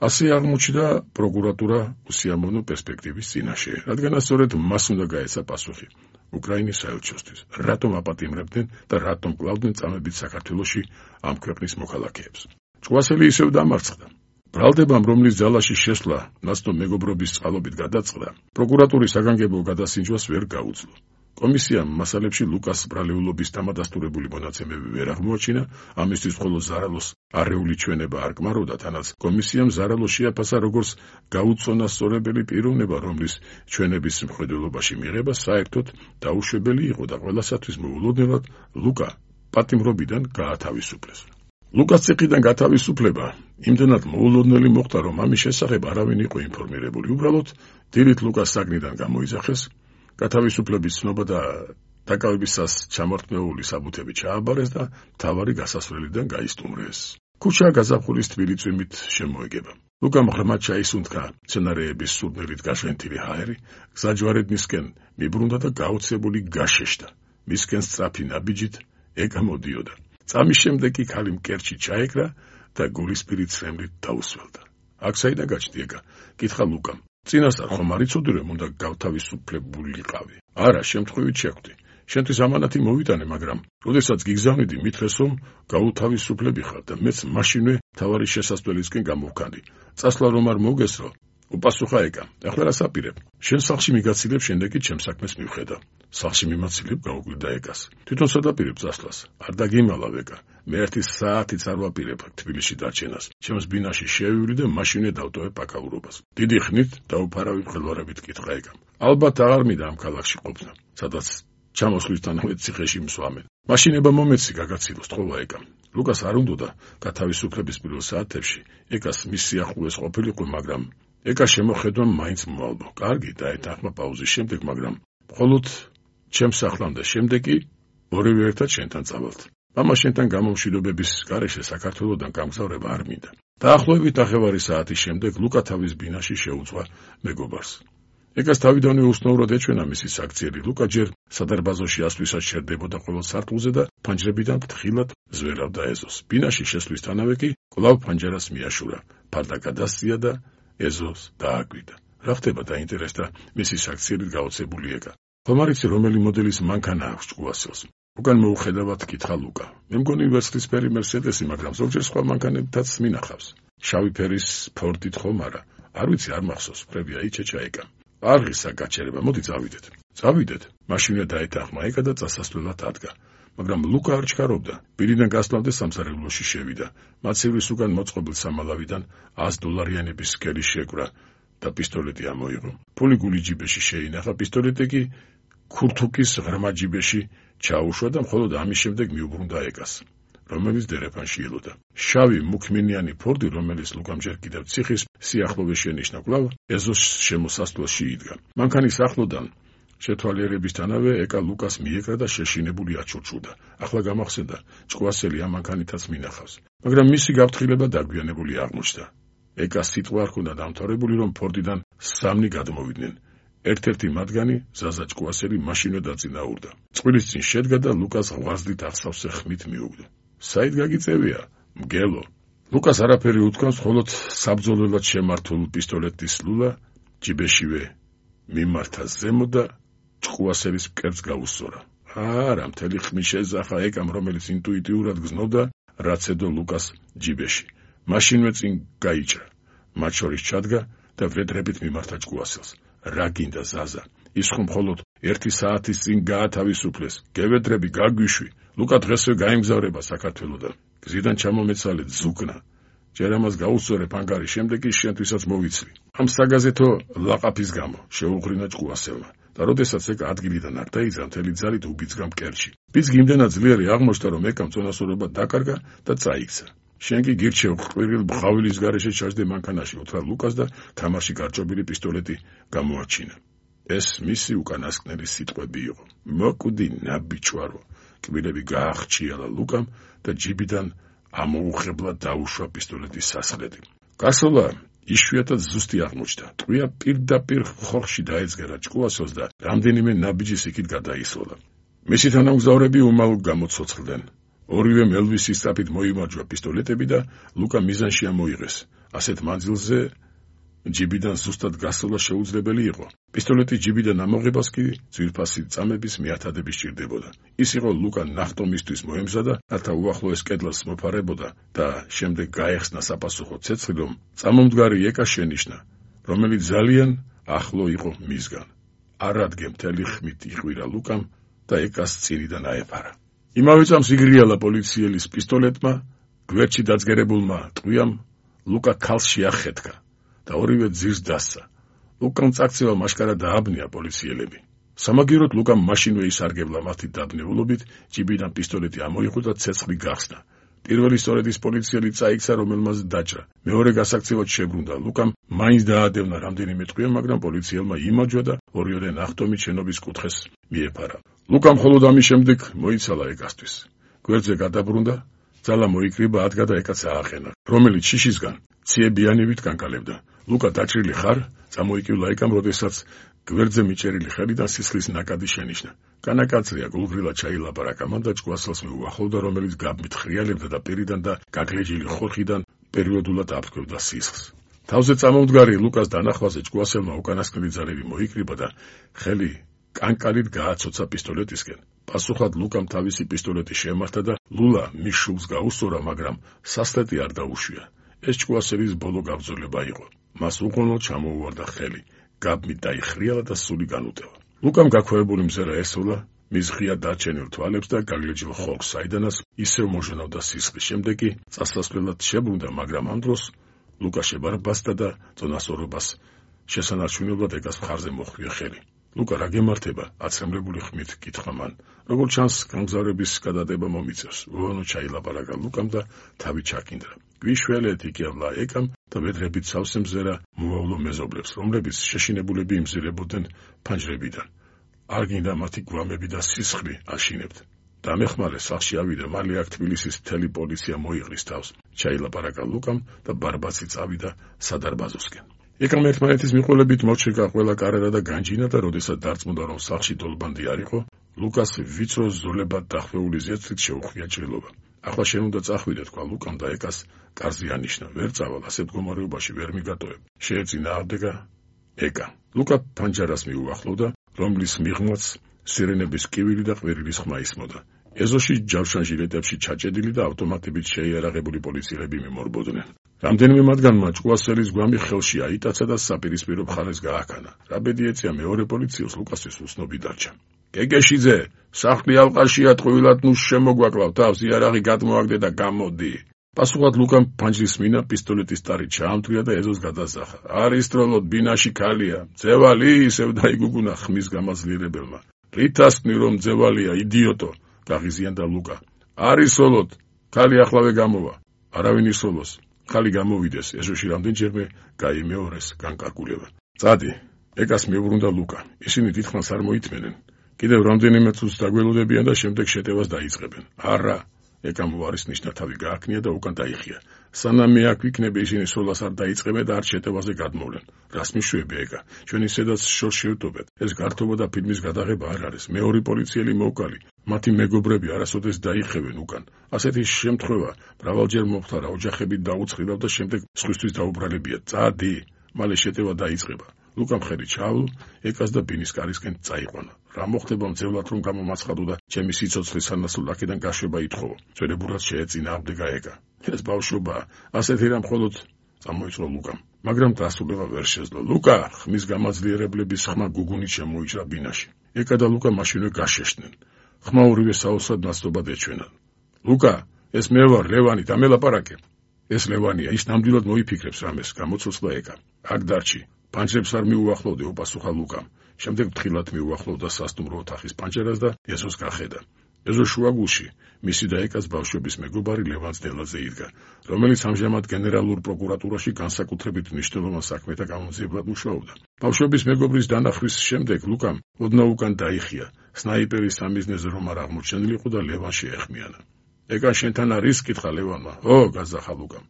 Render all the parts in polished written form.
ასე აღმოჩნდა პროკურატურა უსიამოვნო პერსპექტივის წინაშე, რადგან სწორედ მას უნდა გაეცა პასუხი უკრაინის საელჩოსთვის, რატომ აპატიმრებდნენ და რატომ კლავდნენ წამებით საქართველოში ამ ქვეყნის მოქალაქეებს. ჭკუასელი ისევ დამარცხდა. ბრალდებამ, რომლის ძალაში შესვლა ნაცნობ მეგობრობის წყალობით გადაწყდა, პროკურატურის საგანგებო გადასინჯვას ვერ გაუძლო. კომისიამ მასალებში ლუკას ბრალეულობის დამადასტურებული მონაცემები ვერ აღმოაჩინა, ამისთვის მხოლოდ ზარალოს არეული ჩვენება არ კმაროდა, თანაც კომისიამ ზარალო შეაფასა როგორც გაუწონასწორებელი პიროვნება, რომლის ჩვენების მხედველობაში მიღება საერთოდ დაუშვებელი იყო და ყველასათვის მოულოდნელად ლუკა პატიმრობიდან გაათავისუფლეს. ლუკას ციხიდან გათავისუფლება იმდენად მოულოდნელი მოხდა, რომ ამის შესახებ არავინ იყო ინფორმირებული. უბრალოდ დილით ლუკას საგნიდან გამოიძახეს, გათავისუფლების ცნობა და დაკავებისას ჩამორთმეული საბუთები ჩააბარეს და მთავარი გასასვლელიდან გაისტუმრეს. ქუჩა გაზაფხულის თბილი წვიმით შემოეგება. ლუკამ ღრმად ჩაისუნთქა მცენარეების სურნელით გაშვენთილი ჰაერი, გზაჯვარედ მისკენ მიბრუნდა და გაოცებული გაშეშდა. მისკენ სწრაფი ნაბიჯით ეკა მოდიოდა. წამის შემდეგ კი ქალი მკერჩი ჩაეკრა და გულისპირი ცრემლით დაუსველდა. აქ საიდან გაჩნდი ეკა? კითხა ლუკამ. წინასწარ ხომ არ იცოდი, რომ უნდა გავთავისუფლებულიყავი? არა, შემთხვევით შეხვდი. შენთვის ამანათი მოვიტანე, მაგრამ როდესაც გიგზავნიდი, მითხრეს, რომ გაუთავისუფლები ხარ და მეც მაშინვე მთავარი შესასვლელისკენ გამოვქანდი. წასვლა რომ არ მოგესრო, უპასუხა ეკა. ახლა რა საპირებ? შენ სახლში მიგაცილებ, შემდეგ კი ჩემს საქმეს მივხედავ. სახლში მიმაცილებ, გაუკვირდა ეკას. თვითონ სადაპირებ წასვლას? არ დაგიმალავ ეკა. მე ერთი საათიც არ ვაპირებ თბილისში დარჩენას. ჩემს ბინაში შევივლი და მაშინვე დავტოვებ აკაურობას. დიდი ხნით დაუფარავი მყელვარებით კითხა ეკამ. ალბათ აღარ მინდა ამ ქალაქში ყოფნა, სადაც ჩამოსვლისთანავე ციხეში მსვამენ. მაშინება მომეცი გაგაცილოს, თხოვა ეკამ. ლუკას არ უნდოდა გათავისუფლების პირველ საათებში ეკას მის სიახლოვეს ყოფილიყო, მაგრამ ეკა შემოხედვა მაინც მოალბო. კარგი, დაეთანხმა პაუზის შემდეგ, მაგრამ მხოლოდ ჩემს სახლამდე, შემდეგ კი ორივე ერთად შენთან წავალთ. მამა შენთან გამომშვიდობების გარეშე საქართველოდან გამგზავრება არ მინდა. დაახლოებით ნახევარი საათის შემდეგ ლუკა თავის ბინაში შეუძღვა მეგობარს. ეკას თავიდანვე უსნაურად ეჩვენა მისი საქციელი. ლუკა ჯერ სადარბაზოში ასვლისას შერდებოდა ყოველ სართულზე და ფანჯრებიდან ფრთხილად ზვერავდა ეზოს. ბინაში შესვლისთანავე კი კვლავ ფანჯარას მიაშურა, ფარდა გადასწია და ეზოს დააკვირდა. რა ხდება, დაინტერესდა მისი საქციელით გაოცებული ეკა. ხომ არ იცი, რომელი მოდელის მანქანა აქვს ჭკუასელს? უკან მოუხედავად კითხა ლუკა. მე მგონი ვერცხლისფერი მერსედესი, მაგრამ ზოგჯერ სხვა მანქანებითაც მინახავს. შავი ფერის ფორდით ხომ არა? არ ვიცი, არ მახსოვს, ფრებია იჩეჩა ეკა. არღისა გაჩერება, მოდი წავიდეთ. წავიდეთ. მაშინვე დაეთანხმა ეკა და წასასვლელად ადგა. მაგრამ ლუკა არ ჩქარობდა. ბილიდან გასვლამდე სამსახურში შევიდა. მაცივრის უკან მოწყობილ სამალავიდან $100 სქელი შეკვრა და პისტოლეტი ამოიღო. ფული გული ჯიბეში შეინახა, პისტოლეტი კი ქურთუკის ღრმა ჯიბეში ჩაუშვა და მხოლოდ ამის შემდეგ მიუბრუნდა ეკას, რომელიც დერეფანში ელოდა. შავი მუქმინიანი ფორდი, რომელიც ლუკამ ჯერ კიდევ ციხის სიახლოვეში ენიშნა, კვლავ ეზოს შემოსასვლელში იდგა. მანქანის ახლოდან შეთვალიერებისთანავე ეკა ლუკას მიეკრა და შეშინებული აჩურჩუდა. ახლა გამახსენდა, ჭკუასელი ამ მანქანითაც მინახავს, მაგრამ მისი გაფრთხილება დაგვიანებული აღმოჩნდა. ეკას სიტყვა ჰქონდა დამთავრებული, რომ ფორდიდან 3 გადმოვიდნენ. ერთ-ერთი მათგანი ზაზა ჭკუასელი მაშინვე დაწინაურდა. წყვილის წინ შედგა და ლუკას ღვაწლით აღსავსე ხმით მიუგდა. საით გაგიწევია? მგელო. ლუკას არაფერი უთქვამს, მხოლოდ საბრძოლველად შემართულ პისტოლეტის ლულა ჯიბეშივე მიმართა ზემო და ჭკუასელის მკერდს გაუსწორა. არა, მთელი ხმი შეძახა ეკამ, რომელიც ინტუიტიურად გზნობდა, რაც ედო ლუკას ჯიბეში. მაშინვე წინ გაიჭრა. მათ შორის ჩადგა და ვრედრებით მიმართა ჭკუასელს. რა გინდა ზაზა? ის ხომ მხოლოდ 1 საათის წინ გაათავისუფლეს. გევედრები, გაგვიშვი. ლუკა დღესვე გაემგზავრება საქართველოდან. გზიდან ჩამომეცალეთ ზუგნა. ჯერ ამას გაუსწორებ ანგარი, შემდეგ კი შენთვისაც მოვიცლი. ამ საგაზეთო ლაყაფის გამო შეუღრინა ჭკუასელმა. და როდესაც ეკა ადგილიდან არ დაიძრა, მთელი ძალით უბიძგა მკერდში. ბიძგი იმდენად ძლიერი აღმოჩნდა, რომ ეკამ წონასწორობა დაკარგა და წაიქცა. შენ კი გირჩევ ყვირილ ბღავილის გარეშე ჩაჯდე მანქანაში, უთხრა ლუკას და თამაში გარჭობილი პისტოლეტი გამოაჩინა. ეს მისი უკანასკნელი სიტყვები იყო. მოკვდი ნაბიჯვარო. კბილები გაახჩიალა ლუკამ და ჯიბიდან ამოუხებლად დაუშვა პისტოლეტის სასხლეტი. გასვლა იშვიათად ზუსტი აღმოჩნდა. ტყვია პირდაპირ ხორხში დაეძგერა ჭკუასელს და რამდენიმე ნაბიჯის იქით გადაისროლა. მისი თანამგზავრები უმალ გამოცოცხლდნენ. ორივე მელვისის სწრაფით მოიმარჯვა პისტოლეტები და ლუკა მიზანში ამოიღეს. ასეთ მანძილზე ჯიბიდან ზუსტად გასვლა შეუძლებელი იყო. პისტოლეტის ჯიბიდან ამოღებას კი ძვირფასი წამების მეათადები სჭირდებოდა. ის იყო ლუკა ნახტომისთვის მოემზადა, რათა უახლოეს კედელს მოფარებოდა და შემდეგ გაეხსნა საპასუხო ცეცხლი, რომ წამომდგარი ეკა შენიშნა, რომელიც ძალიან ახლო იყო მისგან. არადგე მთელი ხმით იყვირა ლუკამ და ეკას წინიდან აეფარა. იმავე წამს იგრიალა პოლიციელის პისტოლეტმა, გვერდში დაძგერებულმა ტყვიამ ლუკა ქალს შეახეთქა და ორივე ძირს დასცა. ლუკამ წაქცევა მაშკარა დააბნია პოლიციელები. სამაგიეროდ ლუკამ მაშინვე ისარგებლა მათი დაბნეულობით, ჯიბიდან პისტოლეტი ამოიღო და ცეცხლი გახსნა. პირველი სწორედ ის პოლიციელი წაიქცა, რომელმაც დაჭრა. მეორე გასაქცევად შებრუნდა. ლუკამ მაინც დაადევნა რამდენიმე ტყვია, მაგრამ პოლიციელმა იმარჯვა და ორიოდე ნახტომით შენობის კუთხეს მიეფარა. ლუკამ მხოლოდ ამის შემდეგ მოიცალა ეკასთვის. გვერდზე გადაბრუნდა, ძალა მოიკრიბა, ადგა და ეკაც ააყენა, რომელიც შიშისგან ციებიანივით განკალებდა. ლუკა დაჭრილი ხარ? წამოიკივლა ეკამ, როდესაც გვერდზე მიჭერილი ხელიდან სისხლის ნაკადი შენიშნა. განაკაცრია, გულგრილად ჩაილაპარაკა მან და ჭკუასელს მიუახლოვდა, რომელიც გაბმით ხრიალებდა და პირიდან და გაგლეჯილი ხორხიდან პერიოდულად აფრქვევდა სისხლს. თავზე წამომდგარი ლუკას დანახვაზე ჭკუასელმა უკანასკნელი ძალები მოიკრიბა და ხელი კანკალით გააცოცა პისტოლეტისკენ. პასუხად ლუკამ თავისი პისტოლეტი შემართა და ლულა მის შუბლს გაუსწორა, მაგრამ სასტეთი არ დაუშვია. ეს ჭკუასელის ბოლო გაბრძოლება იყო. მას უყოლოდ ჩამოუვარდა ხელი. გაბმით დაიხრიალა და სული განუტევა. ლუკამ გაქვეყნებული მზერა ესვლა მის ღია დარჩენილ თვალებს და გაგლეჯილ ხორცს, საიდანაც ისევ მოჟონავდა სისხლის. შემდეგ კი წასასვლელად შებრუნდა, მაგრამ ამ დროს ლუკა შებარბასდა და წონასწორობას შესანარჩუნებლად ეკას მხარზე მოხვია ხელი. ლუკა რა გემართება? აცრემლებული ხმით კითხა მან. როგორც ჩანს, გამგზავრების გადადება მომიწევს. უონო ჩაილაპარაკა ლუკამ და თავი ჩაკინდრა. გვიშველეთ იკევლა ეკამ და ვედრებით სავსე მზერა მოავლო მეზობლებს, რომლებიც შეშინებულები იმზირებოდნენ ფანჯრებიდან. არ გინდა მათი გვამები და სისხლი აშინებთ. დამეხმარე სახლში ავიდა, მალე აქ თბილისის მთელი პოლიცია მოიღრის თავს. ჩაილაპარაკა ლუკამ და ბარბაცი წავიდა სადარბაზოსკენ. ეკამ ერთმანეთის მიყოლებით მოჩერგა ყველა კარერა და განჯინა და როდესაც დარწმუნდა, რომ სახლში დოლბანდი არ იყო, ლუკას ვიწრო ზოლებად დახვეული ზეცით შეუხვია ჭრილობა. ახლა შენ უნდა წახვიდე, თქვა ლუკამ და ეკას კარზე ანიშნა. ვერ წავალ, ასეთ მდგომარეობაში ვერ მიგატოვებ. შეეწინააღმდეგა ეკა. ლუკა ფანჯარას მიუახლოვდა, რომლის მიღმაც სირენების კივილი და ყვირილის ხმა ისმოდა. ეზოში ჯავშან ჟილეტებში ჩაჭედილი და ავტომატებით შეიარაღებული პოლიციელები მიმორბოდნენ. რამდენიმე მათგანმა ჭკუასელის გვამი ხელში აიტაცა და საპირისპირო მხარეს გააქანა. რა ბედი ეწია მეორე პოლიციელს, ლუკასთვის უცნობი დარჩა. გეგეშიძე, სახლი ალყაშია, ტყუილად ნუ შემოგვაკლავ თავს, იარაღი გადმოაგდე და გამოდი. პასუხად ლუკამ ფანჯრის მინა პისტოლეტის ტარი ჩაამთვრია და ეზოს გადასახა. არის დროლოდ, ბინაში ქალია. ძევალი, ისევ დაიგუგუნა ხმის გამაძლიერებელმა. რითასკნი რომ ძევალია, იდიოტო, გაღიზიანდა ლუკა. არის სოლოდ, ქალი ახლავე გამოვა. არავინ ისოლოს. ხალი გამოვიდეს, ეზოში რამდენჯერმე გაიმეორეს განკარგულება. წადი, ეკას მიუბრუნდა ლუკა. ისინი დიდხანს არ მოითმენენ. კიდევ რამდენიმე წუთს დაგველოდებიან და შემდეგ შეტევას დაიწყებენ. არა, ეკამ უარის ნიშნა თავი გააკნია და უკან დაიხია. სანამ მე აქ ვიქნები, ისინი სოლას არ დაიწყებენ და არ შეტევაზე გადმოვლენ. რას მიშვები ეკა? ჩვენ ისედაც შორს შევტობეთ. ეს გართობა და ფილმის გადაღება არ არის. მეორე პოლიციელი მოვკალი. მათი მეგობრები არასოდეს დაიხევენ უკან. ასეთი შემთხვევა მრავალჯერ მომხდარა, ოჯახები დაუცხრილავ და შემდეგ სხვისთვის დაუბრალებია. წადი, მალე შეტევა დაიწყება. ლუკამ ხელი ჩაავლო, ეკას და ბინის კარისკენ წაიყვანა. რა მოხდება მძევლად რომ გამომაცხადო და ჩემი სიცოცხლის სანასულ აქედან გაშვება ითხოვო. ძველებურად შეეწინააღმდეგა ეკა. ეს ბავშვობაა, ასეთი რამ მხოლოდ წამოიწყო ლუკამ. მაგრამ დასრულება ვერ შეძლო. ლუკა, ხმის გამაძლიერებლების ხმა გუგუნით შემოიჭრა ბინაში. ეკა და ლუკა მაშინვე გაშეშდნენ. ხმა ორივე საოცრად ნაცნობად ეჩვენან. ლუკა, ეს მე ვარ, ლევანი, დამელაპარაკე. ეს ლევანია, ის ნამდვილად მოიფიქრებს რამეს, გამოცოცხლა ეკა. აქ დარჩი. პანჯრებს არ მიუახლოვდე, უპასუხა ლუკამ. შემდეგ ფრთხილად მიუახლოვდა სასტუმრო ოთახის პანჯერას და ეზოს გახედა. ეზოს შუაგულში მისი და ეკას ბავშვების მეგობარი ლევან ძნელაძე იდგა, რომელიც ამჟამად გენერალურ პროკურატურაში განსაკუთრებით მნიშვნელოვან საქმეთა გამომძიებლად მუშაობდა. ბავშვების მეგობრის დანახვის შემდეგ ლუკამ ოდნავ უკან დაიხია. სნაიპერის სამიზნეზე რომ არ აღმოჩენილიყო და ლევან შეეხმიანა. ეკა შენთან არის? კითხა ლევანმა. ო, გაზახა ლუკამ.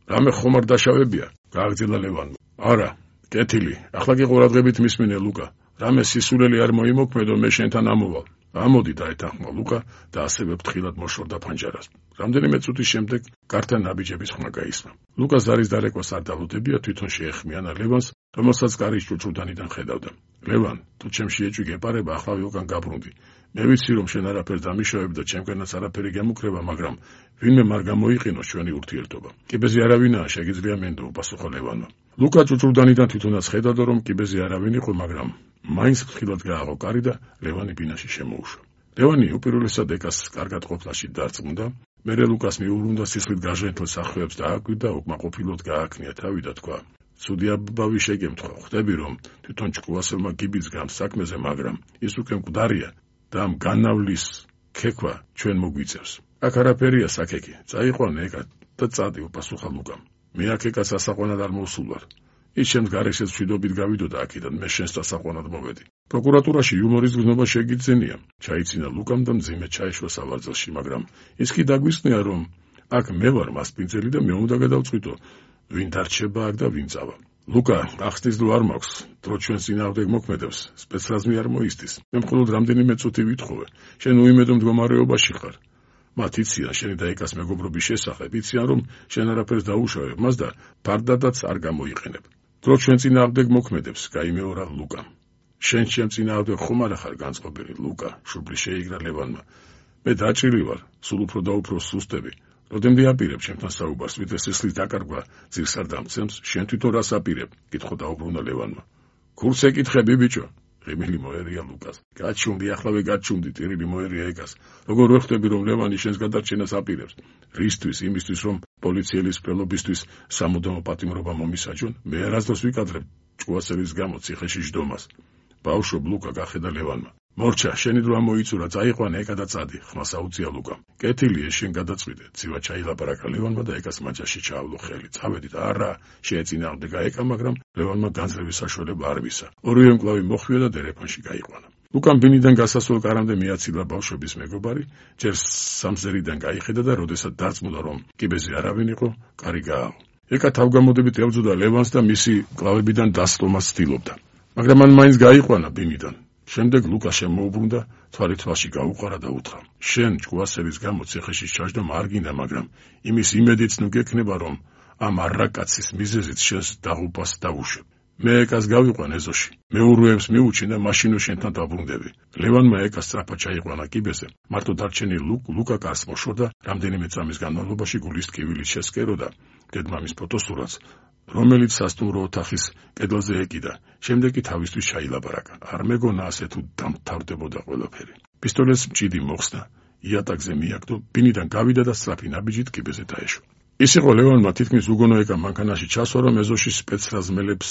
რამე ხომ არ დაშავებია? გააგრძელა ლევანმა. არა, კეთილი, ახლა კი ყურადღებით მისმინე ლუკა. რამე სისულელი არ მოიმოქმედო, მე შენთან ამოვალ. ამოდი დაეთანხმა ლუკა და ასევე ფრთხილად მოშორდა ფანჯარას. რამდენიმე წუთის შემდეგ გართან ნაბიჯების ხმა გაისმა. ლუკა ზარის დარეკვას არ დალუდებია, თვითონ შეეხმიანა ლევანს, რომელსაც კარის ჭუჭუდანიდან ხედავდა. ლევან, თუ ჩემში ეჭვი გეპარება, ახლა ვიყან გაბრუნდი. მე ვიცი, რომ შენ არაფერს დამიშავებ და ჩემგანაც არაფერი გემუქრება, მაგრამ ვინმე არ გამოიყენოს ჩვენი ურთიერთობა. კიბეზე არავინაა, შეგიძლია მენდო, უპასუხა ლევანმა. ლუკა ჭუჭუდანიდან თვითონაც ხედავდა, რომ კიბეზე არავინ იყო, მაგრამ მაინც ფრთხილად გააღო კარი და ლევანი ბინაში შემოუშვა. ლევანი უპირველესად ეკას კარგად ყოფნაში დარწმუნდა, მერე ლუკას მიუბრუნდა სისხლით გაჟენთელ სახვეებს დააკვირდა, უკმაყოფილოდ გააკნია თავი და თქვა: ცუდი აბავი შეგემთხვა, ხვდები რომ თვითონ ჭკუასელმა გიბიც გამს საქმეზე, მაგრამ ის უკვე მკვდარია და ამ განავლის ქექვა ჩვენ მოგვიწევს. აქ არაფერია საქეკი, წაიყვანე ეკა და წადი, უპასუხა ლუკამ. მე აქ ეკას ასაყვანად არ მოვსულ ვარ. ის ჩემს გარეშეც მშვიდობით გავიდოდა აქედან, მე შენს დასაყვანად მოვედი. პროკურატურაში იუმორის გზნობა შეგიძლენია, ჩაიცინა ლუკამ და მძიმე ჩაეშვა სავარძელში, მაგრამ ის კი დაგვისწნია, რომ აქ მე ვარ მასპინძელი და მე უნდა გადავწყვიტო, ვინ დარჩება აქ და ვინ წავა. ლუკა, ახსნის დრო არ მაქვს, დრო ჩვენს წინააღმდეგ მოქმედებს, სპეცრაზმი არ მოისდის. მე მხოლოდ რამდენიმე წუთი ვითხოვე. შენ უიმედო მდგომარეობაში ხარ. მათ იციან შენი და ეკას მეგობრობის შესახებ, იციან რომ შენ არაფერს დაუშავებ მას და ფარდადაც არ გამოიყენებ. დრო ჩვენ წინააღმდეგ მოქმედებს, გაიმეორა ლუკამ. შენ ჩემ წინააღმდეგ ხომ არა ხარ განწყობილი, ლუკა, შუბლი შეიგრა ლევანმა. მე დაჭრილი ვარ, სულ უფრო და უფრო სუსტები. როდემდე აპირებ ჩემთან საუბარს, ვიდრე სისხლის დაკარგვა ძირს არ დამცემს, შენ თვითონ რას აპირებ? კითხო დაუბრუნდა ლევანმა. გულს ეკითხები, ბიჭო. ღიმილი მოერია ლუკას. გაჩუმდი, ახლავე გაჩუმდი, ტირილი მოერია ეკას. როგორ ვხვდები, რომ ლევანი შენს გადარჩენას აპირებს? რისთვის? იმისთვის, რომ პოლიციელის სპელობისთვის სამუდამო პატიმრობა მომისაჯონ? მე არასდროს ვიკადრებ ჭკუასელის გამო ციხეში ჯდომას. ბავშვობ, ლუკა, გახედა ლევანმა. მორჩა, შენი დრო ამოიწურა, წაიყვანე ეკა და წადი, ხმას აუწია ლუკამ. კეთილია, შენ გადაწყვიტე, ცივა ჩაილაპარაკა ლევანმა და ეკას მაჯაში ჩაავლო ხელი. წავედით, არა, შეეწინააღმდეგა ეკა, მაგრამ ლევანმა განძრევის საშუალება არ მისცა. ორივე მკლავი მოხვია და დერეფანში გაიყვანა. ლუკამ ბინიდან გასასვლელ კარამდე მიაცილა ბავშვების მეგობარი, ჯერ სამზერიდან გაიხედა და როდესაც დარწმუნდა, რომ კიბეზე არავინ იყო, კარი გააღო. ეკა თავგამოდებით ებრძოდა ლევანს და მისი მკლავებიდან დასწრომას ცდილობდა. მაგრამ მან მაინც გაიყვანა ბინიდან. შემდეგ ლუკა შემოუბრუნდა, თვალი თვალში გაუყარა და უთხრა: შენ ჭკუასელის გამო ციხეში ჩაჯდომა არ გინდა, მაგრამ იმის იმედიც ნუ გექნება, რომ ამ არაკაცის მიზეზით შენს დაღუპას დავუშვებ. მე ეკას გავიყვან ეზოში, მეურვეებს მიუჩინ და მაშინ შენთან დაბრუნდები. ლევანმა ეკას სწრაფად ჩაიყვანა კიბეზე, მარტო დარჩენილ ლუკა კარს მოშორდა, რამდენიმე წამის განმავლობაში გულის ტკივილით შესკეროდა დედმამის ფოტოსურათს, რომელიც სასტუმრო ოთახის კედელზე ეკიდა. შემდეგ კი თავისთვის ჩაილაპარაკა. არ მეგონა ასე თუ დამთავრდებოდა ყველაფერი. პისტოლეტს მჭიდი მოხსნა, იატაკზე მიაგდო, ბინიდან გავიდა და სწრაფი ნაბიჯით კიბეზე დაეშვა. ის იყო ლევანმა თითქმის უგონო ეკა მანქანაში ჩასვა, რომ ეზოში სპეცრაზმელებს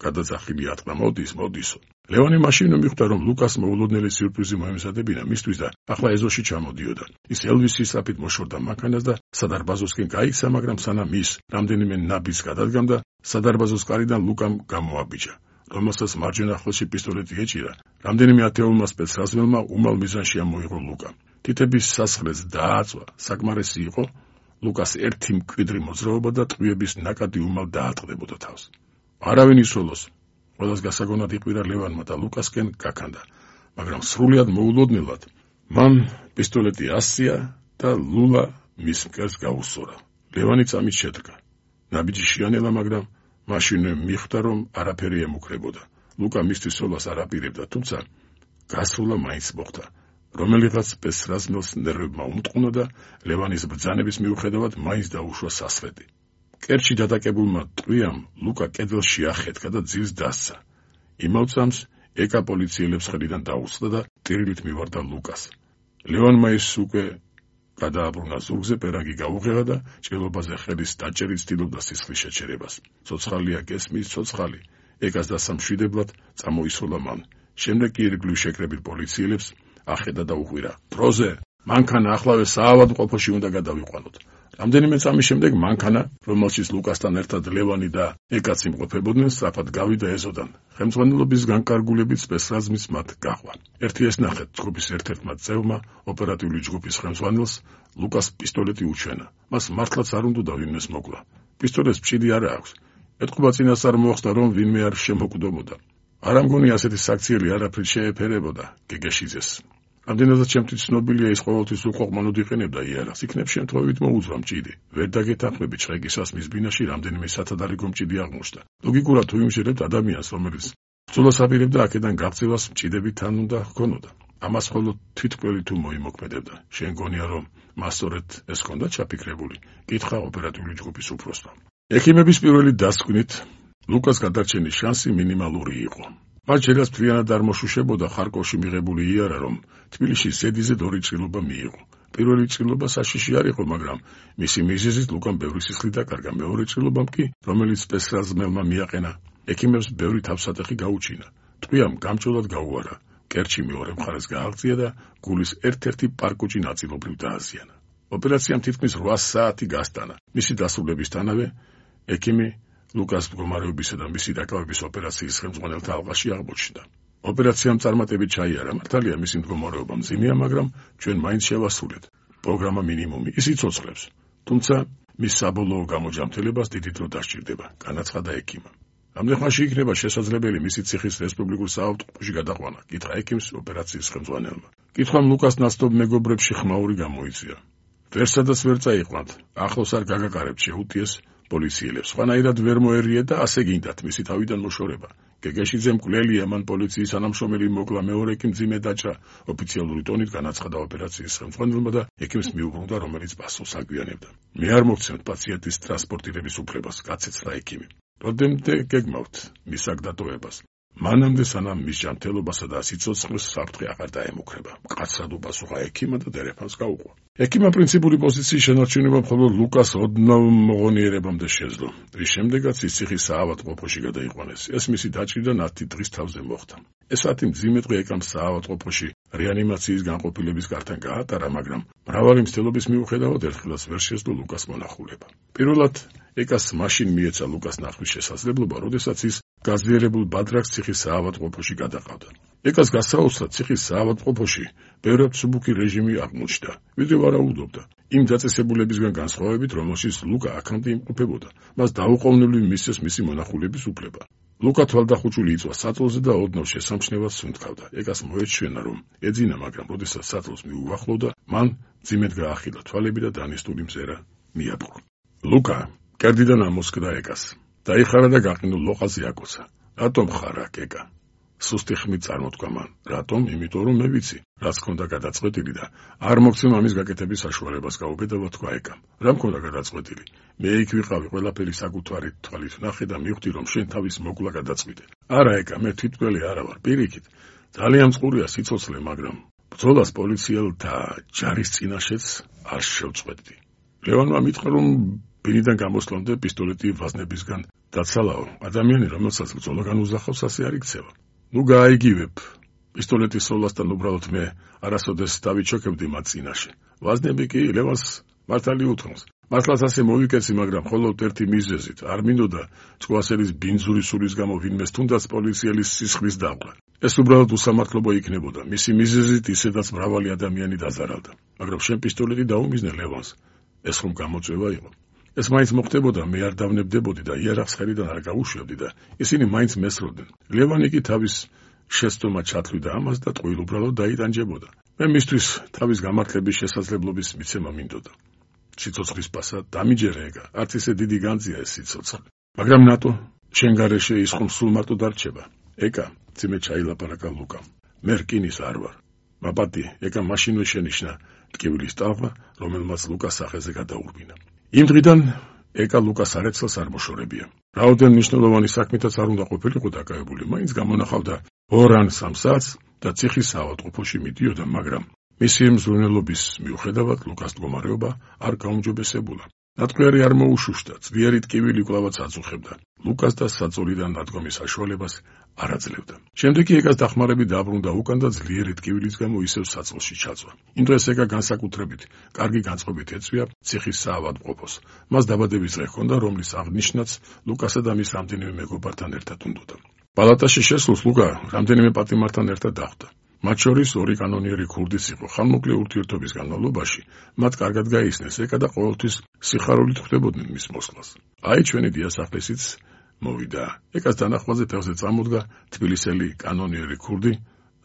გადაძახილი ატყდა. მოდისო. ლევანი მაშინ მიხვდა, რომ ლუკას მოულოდნელი სიურპრიზი მოემზადებინა მისთვის და ახლა ეზოში ჩამოდიოდა. ის ელვისის საფით მოშორდა მანქანას და სადარბაზოსკენ გაიქცა, მაგრამ სანამ ის რამდენიმე ნაბიჯს გადადგამდა, სადარბაზოს კარიდან ლუკამ გამოაბიჯა, რომელსაც მარჯვენა ხელში პისტოლეტი ეჭირა. რამდენიმე ათეულმა სპეცრაზმელმა უმალ მიზანში ამოიღო ლუკა. თითების სასხლეს დააწვა, საკმარისი იყო ლუკას ერთი მკვიდრი მოძრაობა და ტყვიების ნაკადი უმალ დაატყდებოდა თავს. არავინ ისოლოს. ყველას გასაგონად იყვირა ლევანმა და ლუკასკენ გაქანდა, მაგრამ სრულიად მოულოდნელად მან პისტოლეტი ასწია და ლულა მის მკერდს გაუსწორა. ლევანი წამით შედგა. ნაბიჯი შეანელა, მაგრამ მაშინვე მიხვდა, რომ არაფერი ემუქრებოდა. ლუკა მისთვის სოლას არ აპირებდა, თუმცა გასროლა მაინც მოხდა. რომელიღაც სპეცრაზმელს ნერვებმა უმტყუნა და ლევანის ბრძანების მიუხედავად მაინც დაუშვა სასრედი. კერჩი დადაკებულმა ტყვიამ ლუკა კედელში ახეთქა და ძილს დასცა. იმავ წამს ეკა პოლიციელებს ხელიდან დაუწყდა და ტირილით მივარდა ლუკას. ლევანმა ის უკვე გადააბრუნა ზურგზე, პერანგი გაუღեղა და ჭრილობაზე ხელის დაჭერით ცდილობდა სისხლის შეჩერებას. ცოცხალია გესმის, ცოცხალი. ეკას დასამშვიდებლად წამოისროლა მან. შემდეგ კი ირგვლივ შეკრებილ პოლიციელებს ახედა და უღვირა: დროზე, მანქანა ახლავე საავადმყოფოში უნდა გადავიყვანოთ. რამდენიმე წამის შემდეგ მანქანა, რომელშიც ლუკასთან ერთად ლევანი და ეკაც იმყოფებოდნენ, სწრაფად გავიდა ეზოდან. ხელმძღვანელობის განკარგულებით სპეცრაზმის მათ გაყვა. ერთი ეს ნახეთ, ჯგუფის ერთ-ერთმა წევრმა ოპერატიული ჯგუფის ხელმძღვანელს ლუკას პისტოლეტი უჩვენა. მას მართლაც არ უნდა ვინმეს მოკლა. პისტოლეტს მჭიდი არა აქვს. ეთყობა წინასწარ მოხსნა, რომ ვინმე არ შემოკვდომოდა. არ ამგონი ასეთი საქციელი არაფრით შეეფერებოდა გეგეშიძეს. ამდენადაც ჩემთვის ცნობილია ის ყოველთვის უყოყმანოდ იყენებდა იარაღს, იქნებ შემთხვევით მოუძვა მჭიდი. ვერ დაგეთანხმებით შრეკისას მის ბინაში რამდენიმე სათადარიგო მჭიდი აღმოჩნდა. ლოგიკურად თუ იმჟერებთ ადამიანს, რომელიც ბრძოლას აპირებდა, აქედან გაღწევას მჭიდები თან უნდა ჰქონოდა. ამას ხოლო თვითმკვლელი თუ მოიმოქმედებდა. შენ გონია, რომ მას სწორედ ეს ჰქონდა ჩაფიქრებული? კითხა ოპერატიული ჯგუფის უფროსმა. ექიმების პირველი დასკვნით ლუკას გადარჩენის შანსი მინიმალური იყო. მას ჯერაც მთლიანად არ მოშუშებოდა ხარკოვში მიღებული იარა, რომ თბილისში ზედიზედ 2 ჭრილობა მიიღო. პირველი ჭრილობა საშიში არ იყო, მაგრამ მისი მიზეზით ლუკამ ბევრი სისხლი დაკარგა. მეორე ჭრილობამ კი, რომელიც სპეცრაზმელმა მიაყენა, ექიმებს ბევრი თავსატეხი გაუჩინა. ტყვიამ გამჭოლად გაუარა. კერჩი მეორე მხარეს გააღწია და გულის ერთ-ერთი პარკუჭი ნაწილობრივ დააზიანა. ოპერაციამ თითქმის 8 საათი გასტანა. მისი დასრულებისთანავე ექიმი ლუკას მდგომარეობისა და მისი დაკავების ოპერაციის ხელმძღვანელთა ალყაში აღმოჩნდა. ოპერაციამ წარმატებით ჩაიარა. მართალია მისი მდგომარეობა მძიმეა, მაგრამ ჩვენ მაინც შევასრულეთ. პროგრამა მინიმუმი ის იცოცხლებს. თუმცა მის საბოლოო გამოჯამთელებას დიდი დრო დასჭირდება, განაცხადა ექიმმა. ამდენხანში იქნება შესაძლებელი მისი ციხის რესპუბლიკურ საავადმყოფოში გადაყვანა, კითხა ექიმს ოპერაციის ხელმძღვანელმა. კითხვამ ლუკას ნაცნობ მეგობრებში ხმაური გამოიწვია. ვერსადაც ვერ წაიყვანთ, ახლოს არ გაგაყარებთ, შეუტიეს პოლიციელებს. სხვანაირად ვერ მოერიეთ და ასე გინდათ მისი თავიდან მოშორება. გეგეშიძე მკვლელია, მან პოლიციის თანამშრომელი მოკლა, მეორე კი მძიმე დაჭრა. ოფიციალური ტონით განაცხადა ოპერაციის ხელმძღვანელმა და ექიმს მიუბრუნდა, რომელიც პასუხს აგვიანებდა. მე არ მოგცემთ პაციენტის ტრანსპორტირების უფლებას, გაცეცხლა ექიმი. როდემდე გეგმავთ მის აქ დატოვებას? მანამდე სანამ მის ჯანმრთელობასა და სიცოცხლეს საფრთხე აღარ დაემუქრება. მკაცრად უპასუხა ექიმმა და დერეფანს გაუყვა. ექიმმა პრინციპული პოზიციის შენარჩუნება მხოლოდ ლუკას ოდნავ მოღონიერებამდე შეძლო. რის შემდეგაც ის ციხის საავადმყოფოში გადაიყვანეს. ეს მისი დაჭრიდან 10 დღის თავზე მოხდა. ეს 10 მძიმე დღე ეკამ საავადმყოფოში რეანიმაციის განყოფილების გართან გაატარა, მაგრამ მრავალი მცდელობის მიუხედავად ერთხელაც ვერ შეძლო ლუკას მონახულება. პირველად ეკას მაშინ მიეცა ლუკას ნახვის შესაძლებლობა, როდესაც ის გაზიარებულ ბადრაკს ციხის საავადმყოფოში გადაყავდა. ეკას გასაოცრად ციხის საავადმყოფოში ბევრად მსუბუქი რეჟიმი აღმოჩნდა, ვიდრე ვარაუდობდა. იმ დაწესებულებისგან განსხვავებით, რომელშიც ლუკა აქამდე იმყოფებოდა, მას დაუყოვნებლივ მისცეს მისი მონახულების უფლება. ლუკა თვალდახუჭული იწვა საწოლზე და ოდნავ შესამჩნევად სუნთქავდა. ეკას მოეჩვენა, რომ ეძინა, მაგრამ როდესაც საწოლს მიუახლოვდა, მან ძიმედ გაახილა თვალები და დანესტული მზერა მიაპყრო. ლუკა კერდიდან ამოსკდა ეკას. დაიხარა და გაყინულ ლოყაზე აკოცა. რატომ ხარ აქ, ეკა? სუსტი ხმით წარმოთქვა მან. რატომ? იმიტომ რომ მე ვიცი, რაც ქონდა გადაწყვეტილი და არ მოგცემ ამის გაკეთების საშუალებას, გაუბედავა თქვა ეკამ. რა მქონდა გადაწყვეტილი? მე იქ ვიყავი, ყველაფერი საკუთარი თვალით ნახე და მივხვდი, რომ შენ თავის მოკლა გადაწყვიტე. არა ეკა, მე თვითმკვლელი არა ვარ, პირიქით. ძალიან წყურია სიცოცხლე, მაგრამ ბრძოლას პოლიციელთა ჯარის წინაშეც არ შევწყვეტდი. ლევანმა მითხრა, რომ ბინიდან გამოსვლამდე პისტოლეტი ვაზნებისგან დაცალაო. ადამიანი, რომელსაც ბრძოლა განუზახავს, ასე არ იქცევა. ნუ გაიგივებ. პისტოლეტის სოლასთან უბრალოდ მე არასოდეს დავიჩოქებდი მათ წინაშე. ვაზნები კი ლევანს მართალი უთმობს. მართლაც ასე მოვიკეცი, მაგრამ მხოლოდ ერთი მიზეზით. არ მინდოდა წვასელის ბინძური სულის გამო ვინმეს თუნდაც პოლიციელის სისხლის დაყრა. ეს უბრალოდ უსამართლობა იქნებოდა. მისი მიზეზით ისედაც მრავალი ადამიანი დაზარალდა. მაგრამ შენ პისტოლეტი დაუმიზნე ლევანს. ეს ხომ გამოწვევა იყო. ეს მაინც მოხდებოდა, მე არ დავნებდებოდი და იარაღს ხელიდან არ გავუშვებდი და ისინი მაინც მესროდნენ. ლევანი კი თავის შეცდომა ჩათვლიდა ამას და ტყუილ უბრალოდ დაიტანჯებოდა. მე მისთვის თავის გამართლების შესაძლებლობის მიცემა მინდოდა. სიცოცხლის პასა დამიჯერე ეკა, არც ისე დიდი განძია ეს სიცოცხლე. მაგრამ ნატო, შენ გარეშე ის ხომ სულ მარტო დარჩება. ეკა, ძიმე ჩაილაპარაკა ლუკამ. მე რკინის არ ვარ. მაბადი, ეკა მაშინვე შენიშნა ტკივილის ტალღა, რომელმაც ლუკას სახეზე გადაურბინა. იმ დღიდან ეკა ლუკას არეცელს არ მოშორებია. რაოდენ მნიშვნელოვანი საქმითაც არ უნდა ყოფილიყო დაკავებული, მაინც გამონახავდა 2 ან 3 საათს და ციხის საავადმყოფოში მიდიოდა, მაგრამ მისი მზრუნველობის მიუხედავად ლუკას მდგომარეობა არ გაუმჯობესებულა. ნატყვიარი არ მოუშუშდა, ძლიერი ტკივილი კვლავაც აწუხებდა. ლუკას და საწოლიდან დადგომის საშუალებას არ აძლევდა. შემდეგ კი ეკას დახმარებით დაბრუნდა უკან და ძლიერი ტკივილის გამო ისევ საწოლში ჩაწვა. იმ დღეს ეკა განსაკუთრებით კარგი განწყობით ეწვია ციხის საავადმყოფოს. მას დაბადების დღე ჰქონდა, რომლის აღნიშნაც ლუკასა და მის რამდენიმე მეგობართან ერთად უნდოდა. პალატაში შესულს ლუკა რამდენიმე პატიმართან ერთად დახვდა. მათ შორის 2 კანონიერი ქურდიც იყო. ხანმოკლე ურთიერთობის განმავლობაში მათ კარგად გაიცნეს ეკა და ყოველთვის სიხარულით ხვდებოდნენ მის მოსვლას. აი ჩვენი დიასახლისიც მოვიდა. ეკას დანახვაზე ფეხზე წამოდგა თბილისელი კანონიერი ქურდი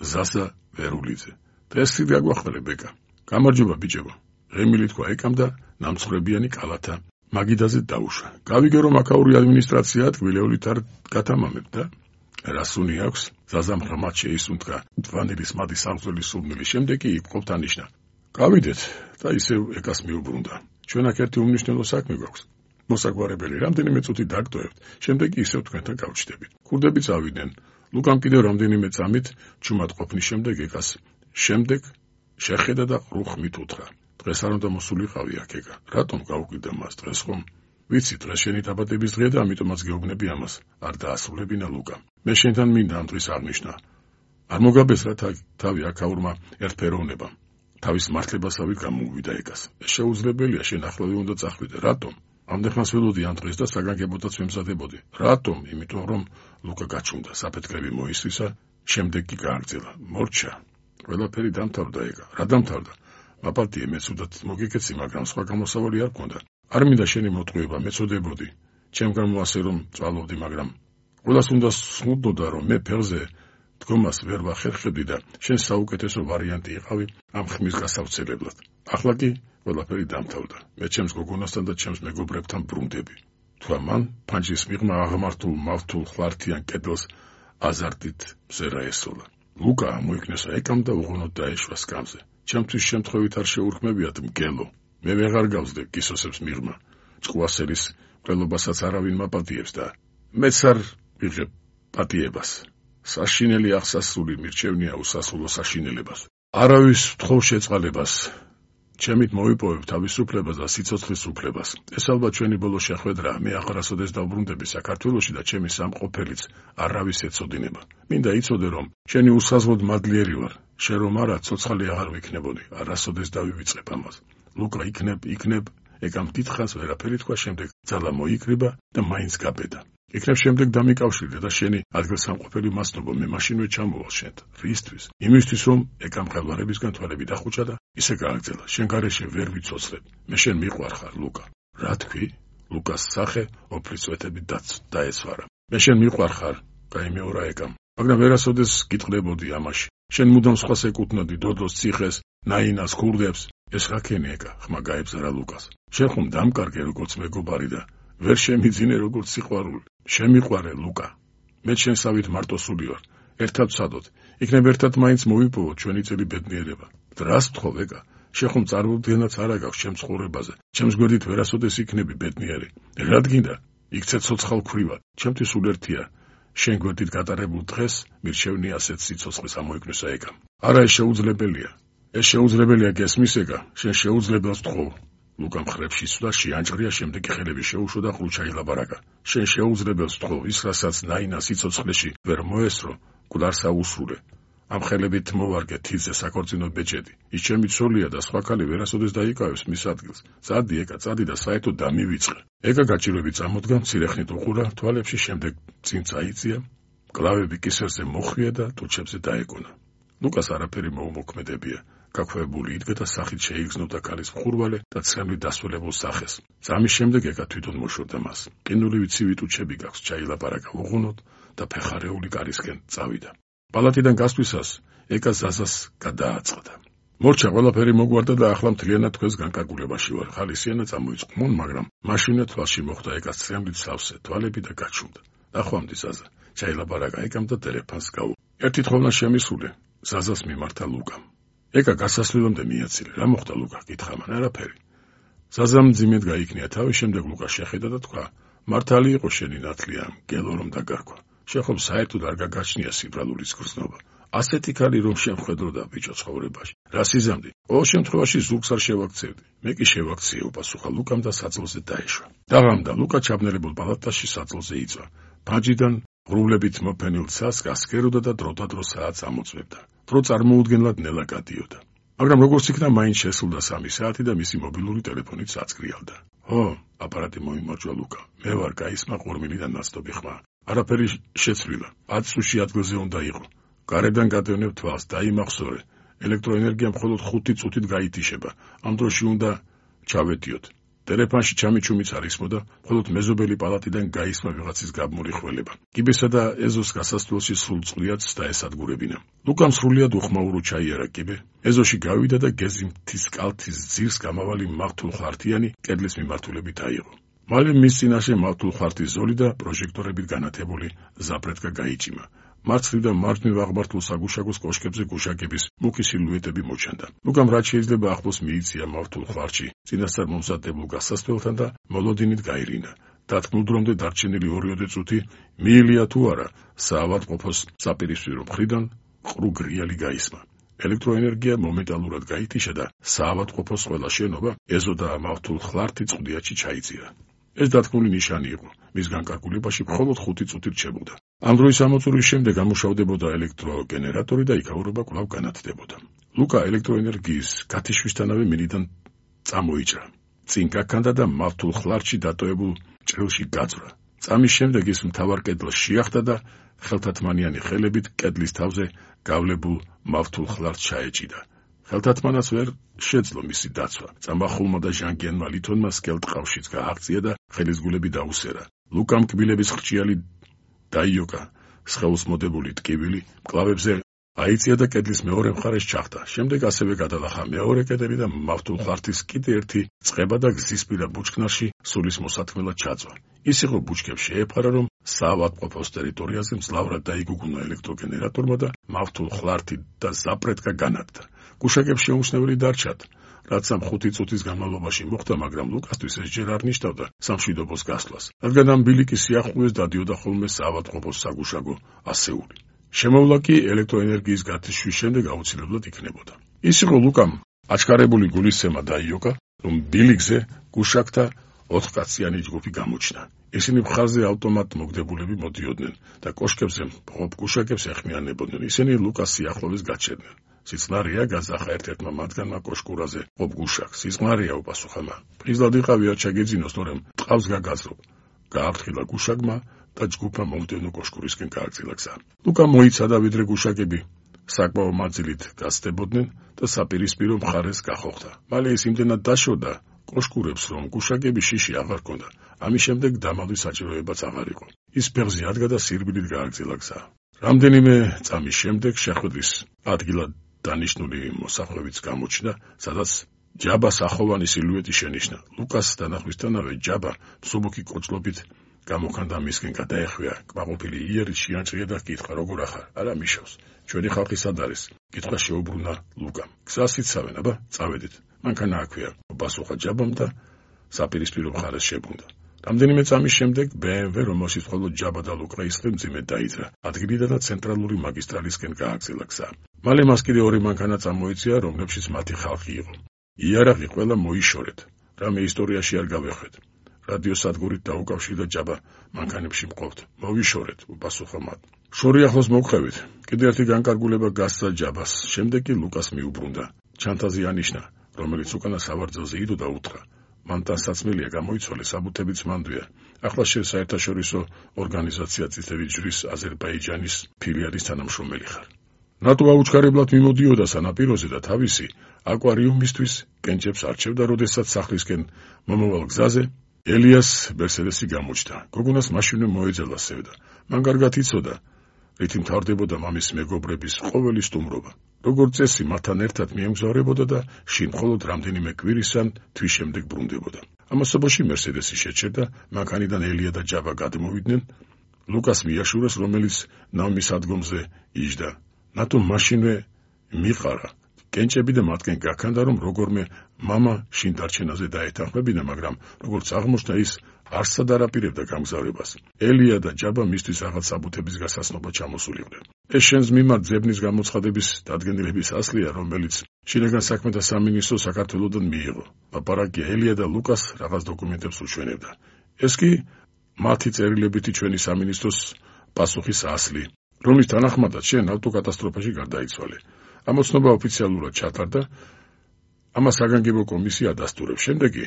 ზასა ვერულიძე. დღეს გაგვახმელე ბეკა. გამარჯობა ბიჭებო. ღემილი თქვა ეკამ და ნამცხრებიანი კალათა მაგიდაზე დაუშვა. გავიგე რომ აქაური ადმინისტრაცია ტკბილეულით არ გათამამებ და რასუნი აქვს ზაზამ ღრმად შეისუნთქა თვანილის მადი სამწველი სულმილი შემდეგ კი იპყრობთ ანიშნა. გავიდეთ და ისევ ეკას მიუბრუნდა. ჩვენ აქ ერთი უმნიშვნელო საქმე გვაქვს. მოსაგვარებელი რამდენიმე წუთი დაგტოვებთ, შემდეგ კი ისევ თქვენთან გავჩნდებით. ქურდები წავიდნენ. ლუკამ კიდევ რამდენიმე წამით ჩუმად ყოფნის შემდეგ ეკას შემდეგ შეხედა და ყრუხმით უთხრა. დღეს არ უნდა მოსულიყავი აქ ეკა. რატომ გავუკვირდა მას დღეს ხომ? ვიცი დღეს შენი დაბადების დღეა და ამიტომაც გეუბნები ამას. არ დაასრულებინა ლუკა. მე შენთან მინდა ამ დღის აღნიშნა. არ მოგაბესრა თავი აქაურმა ერთფეროვნებამ. თავის მართლებასავით გამოუვიდა ეკას. ეს შეუძლებელია, შენ ახლავე უნდა წახვიდე. რატომ? ამდენხანს ველოდი ამ დღეს და საგანგებოდაც ვემზადებოდი. რატომ? იმიტომ რომ ლუკა გაჩუმდა, საფეთქლები მოისრისა, შემდეგ კი გააგრძელა. მორჩა. ყველაფერი დამთავრდა ეკა. რა დამთავრდა? მაპატიე მეცუდად მოგიკეცი, მაგრამ სხვა გამოსავალი არ გქონდა. არ მინდა შენი მოტყუება, მეწოდებოდი. ჩემგან მოასე რომ წვალობდი, მაგრამ ყველას უნდა სხდოდა რომ მე ფეხზე დგომას ვერ ვახერხებდი და შენ საუკეთესო ვარიანტი იყავი ამ ხმის გასავრცელებლად. ახლა კი ყველაფერი დამთავრდა. მე ჩემს გოგონასთან და ჩემს მეგობრებთან ბრუნდები. თქვა მან ფანჯრის მიღმა აღმართულ მავთულ ხვართიან კედელს აზარტით მზერა ესოლა. ლუკა მოიქნესა ეკამ და უღონოდ დაეშვა სკამზე. ჩემთვის შემთხვევით არ შეურქმევიათ მგელო. მე ვეღარ გავსდე კისოსებს მიღმა. ჭკუასელის ყველობასაც არავინ მაპატიებს და მეც არ ვიღებ პატიებას. საშინელი აღსასრული მირჩევნია უსასრულო საშინელებას. არავის ვთხოვ შეწყალებას. ჩემით მოვიპოვებ თავისუფლებას და სიცოცხლის უფლებას. ეს ალბათ ჩვენი ბოლო შეხვედრაა. მე აღარასოდეს დავბრუნდები საქართველოში და ჩემი სამყოფელიც არავის ეცოდინება. მინდა იცოდე რომ შენი უსაზღოდ მადლიერი ვარ. შენ რომ არა, ცოცხალი აღარ ვიქნებოდი. არასოდეს დავივიწყებ ამას. ლუკა იქნებ, ეკამ დიდხანს ვერაფერი თქვა, შემდეგ ძალა მოიკრიბა და მაინც გაბედა. იქნებ შემდეგ დამიკავშირდა და შენი ადგილსამყოფელი მასნობო, მე მაშინვე ჩამოვალ შენთან. რისთვის? იმისთვის რომ ეკამ ხელვარებისგან თვალები დახუჭა და ისე გააგრძელა. შენ გარეშე ვერ ვიცოცხლებ. მე შენ მიყვარხარ, ლუკა. რა თქვი? ლუკას სახე ოფლისვეთებით დაეცვარა. მე შენ მიყვარხარ, გაიმეორა ეკამ. მაგრამ ვერასოდეს გიტყდებოდი ამაში. შენ მუდამ სხვას ეკუთვნოდი, დოდოს, ციხეს, ნაინას, ქურდებს. ეს ხაქენი ეკა, ხმა გაებზარა ლუკას. შენ ხომ დამკარგე როგორც მეგობარი და ვერ შემიძინე როგორც სიყვარული. შემიყვარე ლუკა. მე შენსავით მარტოსული ვარ. ერთად ვცადოთ. იქნებ ერთად მაინც მოვიპოვოთ ჩვენი წელი ბედნიერება. დრას ვთხოვ ეკა. შენ ხომ წარმოუდგენლად არა გაქვს ჩემს ცხოვრებაზე. ჩემს გვერდით ვერასოდეს იქნები ბედნიერი. რადგინდა? იქცე ცოცხალ ქვრივად. ჩემთვის სულ ერთია. შენ გვერდით გატარებულ დღეს მირჩევნია ასეთ სიცოცხლეს ამოიკნესა ეკამ. არა, ეს შეუძლებელია. ეს შეუძლებელია გესმის ეკა. შენ შეუძლებელს ვთხოვ. ლუკა მხრებში სვდა შეანჭრია, შემდეგ ხელები შეუშვა და ყრუჩა ილაბარაკა. შენ შეუძლებელს ვთხოვ, ის რასაც ნაინა სიცოცხლეში ვერ მოესრო, გულარსა უსრულე. ამ ხელებით მოვარგე თიძე საკორწინო ბეჭედი. ის ჩემი ცოლია და სხვა ქალი ვერასოდეს დაიკავებს მის ადგილს. წადი ეკა, წადი და საერთოდ დამივიწყე. ეკა გაჭირვებით წამოდგა, მცირე ხნით უყურა თვალებში, შემდეგ წინ წაიწია, კლავები კისერზე მოხვია და ტუჩებზე დაეკონა. ლუკას არაფერი მოუმოქმედებია. გაქვეებული იდგა და სახით შეიგრძნობდა ქალის მხურვალე და ცხენლით დასრულებულ სახეს. წამის შემდეგ ეკა თვითონ მოშორდა მას. ყინულივი ცივი ტუჩები გაქვს, ჩაილაპარაკა უღუნოდ და ფეხარეული კარისკენ წავიდა. პალატიდან გასვლისას ეკა ზაზას გადააწყდა. მორჩა, ყველაფერი მოგვარდა და ახლა მთლიანად თქვენს განკარგულებაში ვარ. ხალისიანა წამოიწყმონ, მაგრამ მაშინვე თვალში მოხვდა ეკას ცხენლით სავსე თვალები და გაჩუმდა. ნახვამდი ზაზა, ჩაილაპარაკა ეკამ და ტელეფონს გაუ. ერთი თხოვნა შემისული, ზაზას მიმართა ლუკამ. ეკა გასასვლელამდე მიაცილე. რა მოხდა ლუკა? კითხა მან. არაფერი. ზაზამ ძიმედ გაიქნია თავი, შემდეგ ლუკა შეხედა და თქვა, მართალი იყო შენი ნათლია, გელო რომ დაგარქვა. შენ ხომ საერთოდ არ გაგაჩნია სიბრალურის გრძნობა. ასეთი ქალი რომ შემხედროდა ბიჭო ცხოვრებაში. რა სიზამდი? ყოველ შემთხვევაში ზურგს არ შევაქცევდი. მე კი შევაქციე, უპასუხა ლუკამ და საძილზე დაეშვა. დაღამდა. ლუკა ჩაბნელებულ პალატაში საძილზე იწვა. ფანჯიდან ღრუბლებით მოფენილ ცას გასქეროდა და დროდადრო საათს ამოწმებდა. დრო წარმოუდგენლად ნელა გადიოდა. მაგრამ როგორც იქნა, მაინც შესულდა 3 საათი და მისი მობილური ტელეფონით საწკრიალდა. ო, აპარატი მოიმარჯვა ლუკა. მე ვარ, გაისმა ყურმილიდან ნაცნობი ხმა. არაფერი შეცვლილა. 10 წუთში ადგილზე უნდა იყო. გარედან გადევნებ თვალს, დაიმახსოვრე. ელექტროენერგია მხოლოდ 5 წუთით გაითიშება. ამ დროში უნდა ჩავედიოთ. ტელეფონში ჩამიჩუმიც არ ისმოდა, მხოლოდ მეზობელი პალატიდან გაისმა ვიღაცის გაბმული ხველება. კიბესა და ეზოს გასასვლელში სრულწყლიაც დაესადგურებინა. ლუკამ სრულიად უხმაურო ჩაიარა კიბე, ეზოში გავიდა და გეზიმთის კალთის ძირს გამავალი მავთულხლართიანი კედლის მიმართულებით აიღო. მალე მის წინაშე მავთულხლართის ზოლი და პროჟექტორებით განათებული ზაფრეთკა გაიჭიმა. მარცხნივ და მარჯვნივ აღმართულ საგუშაგოს კოშკებზე გუშაგების მუქი სილუეტები მოჩანდა. ლუკამ რაც შეიძლება ახლოს მიიწია მავთულხლართში წინასწარ მომზადებულ გასასვლელთან და მოლოდინით გაირინა. დათქმულ დრომდე დარჩენილი 2 წუთი მიილია თუ არა საავადმყოფოს საპირისპირო მხრიდან ყრუ გრიალი გაისმა. ელექტროენერგია მომენტალურად გაითიშა და საავადმყოფოს ყველა შენობა ეზო და მავთულხლართი წყდიათში ჩაიწირა. ეს დათქმული ნიშანი იყო. მის განკარგულებაში მხოლოდ 5 წუთი რჩებოდა. ამ დროის ამოწურვის შემდეგ ამუშავდებოდა ელექტროგენერატორი და იქაურობა კვლავ განათდებოდა. ლუკა ელექტროენერგიის გათიშვისთანავე მინიდან წამოიჭრა. წინ გაქანდა და მავთულხლართში დატოებულ ჭრილში გაძვრა. წამის შემდეგ ის მთავარ კედელს შეახდა და ხელთათმანიანი ხელებით კედლის თავზე გავლებულ მავთულხლართს ჩაეჭიდა. ხელთათმანას ვერ შეძლო მისი დაცვა. წამახულმა და ჟანგიანმა ლითონმა სკელტყავშიც გააღწია და ხელისგულები დაუსერა. ლუკამ კბილების ხრჭიალი დაიოკა, სხეულს მოდებული ტკივილი მკლავებზე აიწია და კედლის მეორე მხარეს ჩახდა. შემდეგ ასევე გადალახა მეორე კედელი და მავთულხლართის კიდე ერთი წყება და გზისპირა ბუჩქნარში სულის მოსათქმელად ჩაძვა. ის იყო ბუჩქებს შეეფარა, რომ საავადმყოფოს ტერიტორიაზე მძლავრად დაიგუგუნა ელექტროგენერატორმა და მავთულხლართი და ზაფრეთკა განადგა. გუშაგებს შეუმჩნეველი დარჩათ, რაც ამ 5 წუთის განმავლობაში მოხდა, მაგრამ ლუკასთვის ეს ჯერ არ ნიშნავდა სამშვიდობოს გასვლას, რადგან ამ ბილიკის სიახლოვეს დადიოდა ხოლმე საავადმყოფოს საგუშაგო ასეული. შემოვლა კი ელექტროენერგიის გათიშვის შემდეგ აუცილებლად იქნებოდა. ის იყო ლუკამ აჩქარებული გულისცემა დაიოკა, რომ ბილიკზე გუშაგთა 4 კაციანი ჯგუფი გამოჩნდა. ისინი მხარზე ავტომატ მოგდებულები მოდიოდნენ და კოშკებზე მყოფ გუშაგებს ეხმიანებოდნენ. ისინი ლუკას სიახლოვეს გაჩერდნენ. სიწყნარია, გაზახა ერთ-ერთმა მათგანმა კოშკურაზე მყოფ გუშაგს. სიწყნარია, უპასუხა მან. ფხიზლად იყავი არ ჩაგეძინოს, თორემ ტყავს გაგაზრობ. გააფრთხილა გუშაგმა და ჯგუფმა მომდევნო კოშკურისკენ გააგრძელა გზა. ლუკა მოიცადა, ვიდრე გუშაგები საკმაო მანძილით გასწდებოდნენ და საპირისპირო მხარეს გახოხდა. მალე ის იმდენად დაშორდა კოშკურებს, რომ გუშაგები შიში აღარ ჰქონდა. ამის შემდეგ დამალვის საჭიროებაც აღარ იყო. ის ფეხზე ადგა და სირბილით გააგრძელა გზა. რამდენიმე წამის შემდეგ შეხვედრის ადგილად დანიშნული მოსახლეებიც გამოჩნდა, სადაც ჯაბას ახოვანი სილუეტი შენიშნა. ლუკას დანახვისთანავე ჯაბა მსუბუქი კოჭლობით გამოხანდა მისკენ გადაეხვია კმაყოფილი იერით შეანჭრია და კითხა როგორ ახარ? არა მიშავს. ჩვენი ხალხი სად არის? კითხვა შეუბრუნა ლუკამ. გზას იცავენ, აბა, წავედით. მანქანა აქვია, პასუხა ჯაბამ და საპირისპირო მხარეს შებრუნდა. რამდენიმე წამის შემდეგ BMW, რომელშიც მხოლოდ ჯაბა და ლუკა ისხდნენ, მძიმედ დაიძრა. ადგილიდან და ცენტრალური მაგისტრალისკენ გააგრძელა გზა. მალე მას კიდე 2 მანქანა წამოეწია, რომლებშიც მათი ხალხი იყო. იარაღი ყველა მოიშორეთ. რამე ისტორიაში არ გავეხვეთ. რადიოსადგურით დაუკავშირდა ჯაბა მანქანებში მყოფთ. მოვიშორეთ, უპასუხა მათ. შორი ახლოს მოგხევით. კიდე ერთი განკარგულება გასცა ჯაბას. შემდეგ კი ლუკას მიუბრუნდა. ჩანთაზე ანიშნა, რომელიც უკანა სავარძელზე იდო და უთხრა. მან დასაცმელია გამოიცვალე, საბუთებიც მანდვია. ახლა შენ საერთაშორისო ორგანიზაცია წითელი ჯვრის აზერბაიჯანის ფილიალის თანამშრომელი ხარ. ნატო აუჩქარებლად მიმოდიოდა სანაპიროზე და თავისი აკვარიუმისთვის კენჭებს არჩევდა, როდესაც სახლისკენ მომავალ გზაზე ელიას მერსედესი გამოჩნდა. გოგონას მაშინვე მოეძალა სევდა. მან კარგად იცოდა, რითი მთავრდებოდა მამის მეგობრების ყოველი სტუმრობა. როგორც წესი, მათთან ერთად მიემგზავრებოდა და შინ მხოლოდ რამდენიმე კვირის ან თვის შემდეგ ბრუნდებოდა. ამასობაში მერსედესი შეჩერდა, მანქანიდან ელია და ჯაბა გადმოვიდნენ. ლუკას მიაშურეს, რომელიც ნავმის ადგომზე იჯდა. ნატო მაშინვე მიყარა. კენჭები და მათკენ გაქანდა, რომ როგორმე მამა შინ დარჩენაზე დაეთანხმებინა, მაგრამ როგორც აღმოჩნდა, ის არსად არ აპირებდა გამგზავრებას. ელია და ჯაბა მისთვის რაღაც საბუთების გასაცნობა ჩამოსულიყვნენ. ეს შენს მიმართ ძებნის გამოცხადების დადგენილების ასლია, რომელიც შინაგან საქმეთა სამინისტრო საქართველოდან მიიღო. ლაპარაკია ელია და ლუკას რაღაც დოკუმენტებს უჩვენებდა. ეს კი მათი წერილებითი ჩვენი სამინისტროს პასუხის ასლი, რომლის თანახმადაც შენ ავტოკატასტროფაში გარდაიცვალე. ამოცნობა ოფიციალურად ჩატარდა, ამას საგანგებო კომისია ადასტურებს. შემდეგ კი,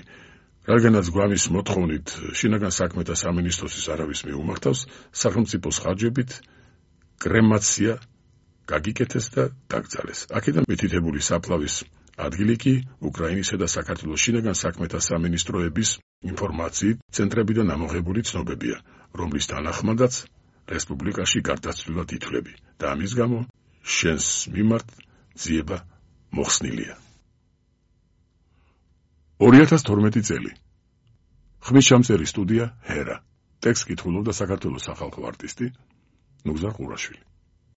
რადგანაც გვამის მოთხოვნით შინაგან საქმეთა სამინისტროსის არავის მიუმართავს, სახელმწიფოს ხარჯებით კრემაცია გაგიკეთეს და დაკრძალეს. აქედან მითითებული საფლავის ადგილი კი უკრაინისა და საქართველოს შინაგან საქმეთა სამინისტროების ინფორმაციით ცენტრებიდან ამოღებული ცნობებია, რომლის თანახმადაც რესპუბლიკაში გარდაცვლილად ითვლები და ამის გამო შენს მიმართ ძიება მოხსნილია. 2012 წელი. ხმისჩამწერი სტუდია ჰერა. ტექსტს კითხულობდა საქართველოს სახალხო არტისტი ნუგზარ ყურაშვილი.